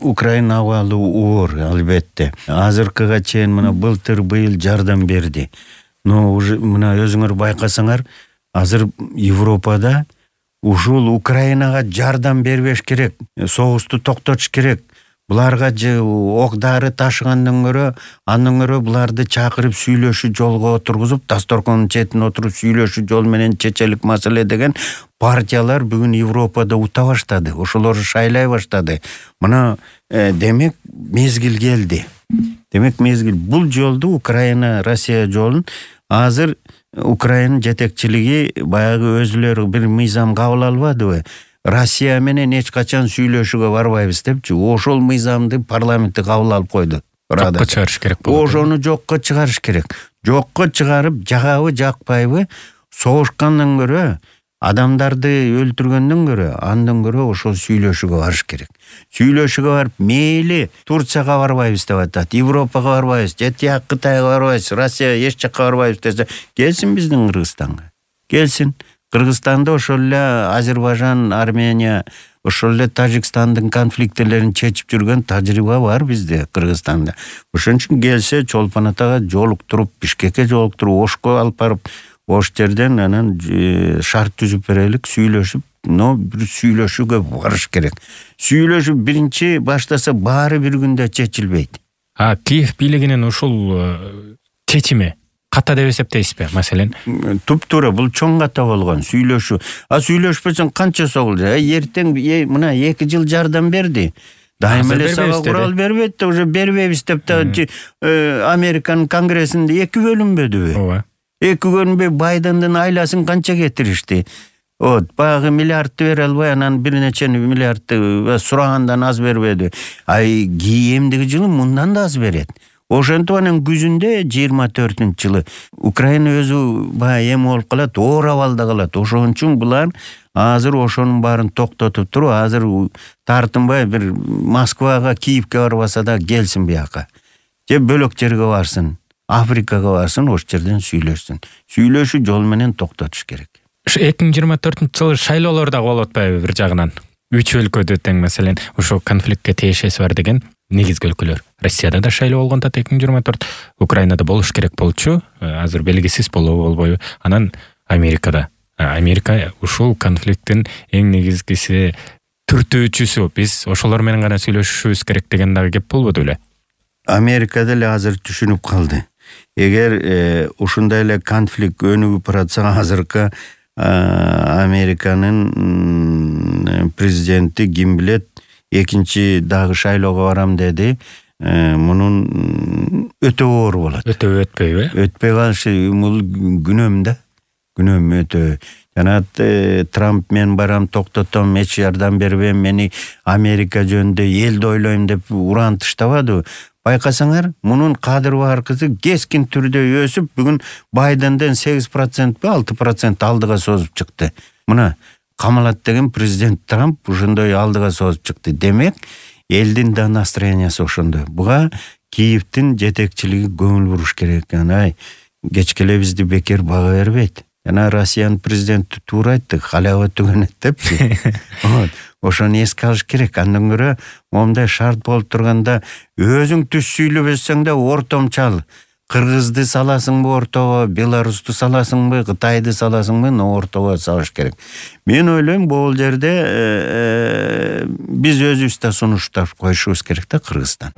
Украина абалы оор, албетте. Азыркыга чейин мына быйыл жардам берди. Но уже мына өзүңөр байкасаңар, азыр Европада ушул Украинага жардам бербеш керек, согушту токтотуш керек. Буларга же ок-дары ташыгандан көрө, андан көрө буларды чакырып сүйлөшүү жолго отургузуп, дасторкондун четине отуруп сүйлөшүү жол менен чечелик маселе деген партиялар бүгүн Европада ута баштады. Ошолор шайлай баштады. Мына демек мезгил келди. Бул жолду Украина Россия жолун азыр Украина жетекчилиги баягы өзүлөрү бир мыйзам кабыл албадыбы? Россия менен эч качан сүйлөшүүгө барбайбыз депчи. Ошол мыйзамды парламентте кабыл алып койду. Жокко чыгарыш керек болду. Ошону жокко чыгарыш керек. Жокко чыгарып, жагабы, жакпайбы, согушкандан көрө, адамдарды өлтүргөндөн көрө, андан көрө ошол сүйлөшүүгө барыш керек. Сүйлөшүүгө барып, мейли Турцияга барбайбыз деп атат, Европага барбайбыз, же Кытайга барбайбыз, Россия эч жакка барбайбыз десе, келсин биздин Кыргызстанга. Келсин. Кыргызстанда ошол эле Азербайжан, Армения, ошол эле Тажикстандын конфликттерин чечип жүргөн тажрыйба бар бизде Кыргызстанда. Ошон үчүн келсе Чолпон Атага жолуктуруп, Бишкекке жолуктуруп, Ошко алып барып, Ош жерден анан шарт түзүп берелик, сүйлөшүп, бир сүйлөшүүгө барыш керек. Сүйлөшүү биринчи баштаса баары бир күндө чечилбейт. Киев бийлигинин ушул чечими ката деп эсептейсизби, маселен? Туп-туура, бул чоң ката болгон сүйлөшүү. Сүйлөшпөсөң канча согулду? Эртең мына 2 жыл жардам берди. Дайым эле сага курал бербейт, уже бербейбиз деп Американын конгрессинде 2 бөлүнбөдүбү? Ооба. 2 бөлүнбөй Байдендин айласын канча кетиришти? Баягы миллиардты бере албай, анан бир нече миллиардты сурагандан аз бербеди. Эмдиги жылы мындан да аз берет. Ошентип анан күзүндө 24-жылы Украина өзү баягы эме болуп калат, оор абалда калат. Ошон үчүн булар азыр ошонун баарын токтотуп туруп, азыр тартынбай бир Москвага, Киевке барбаса да келсин бияка. Же бөлөк жерге барсын, Африкага барсын, ош жерден сүйлөшсүн. Сүйлөшүү жол менен токтотуш керек. 2024-жылы шайлоолор да болуп атпайбы бир жагынан? 3 өлкөдө тең, маселен, ошо конфликтке тиешеси бар деген негизги өлкөлөр. Россияда да шайлоо болгондо 2024, Украинада болуш керек болчу, азыр белгисиз болобу болбойбу. Анан Америкада. Америка ушул конфликттин эң негизгиси түртүүчүсү. Биз ошолор менен гана сүйлөшүшүбүз керек деген дагы кеп болбоду беле? Америка деле азыр түшүнүп калды. Эгер ушундай эле конфликт өнүгүп баратса, азыркы Американын президенти ким билет, экинчи дагы шайлоого барам деди. Мунун өтө оор болот. Өтпөйбү? Өтпөй калышы бул күнөм да. Күнөм өтө. Жана Трамп мен барам, токтотом, эч жардам бербейм, мени Америка жөнүндө элди ойлойм деп уран таштабады. Байкасаңар, мунун кадыр баркысы кескин түрдө өсүп, бүгүн Байденден 8% 6% алдыга созуп чыкты. Мына камалат деген президент Трамп ушондой алдыга созуп чыкты. Демек, элдин да настроениясы ошондой. Буга Киевдин жетекчилиги көңүл буруш керек. Кечкеле бизди бекер бага бербейт. Жана Россиянын президенти туура айтты, халява түгөнөт депчи. Ошону эске алыш керек. Андан көрө момундай шарт болуп турганда өзүң түз сүйлөбөсөң да ортомчал. Кыргызды саласыңбы ортого, Беларусту саласыңбы, Кытайды саласыңбы, ортого салыш керек. Мен ойлойм, бул жерде биз өзүбүз да сунуштап коюшубуз керек да Кыргызстан.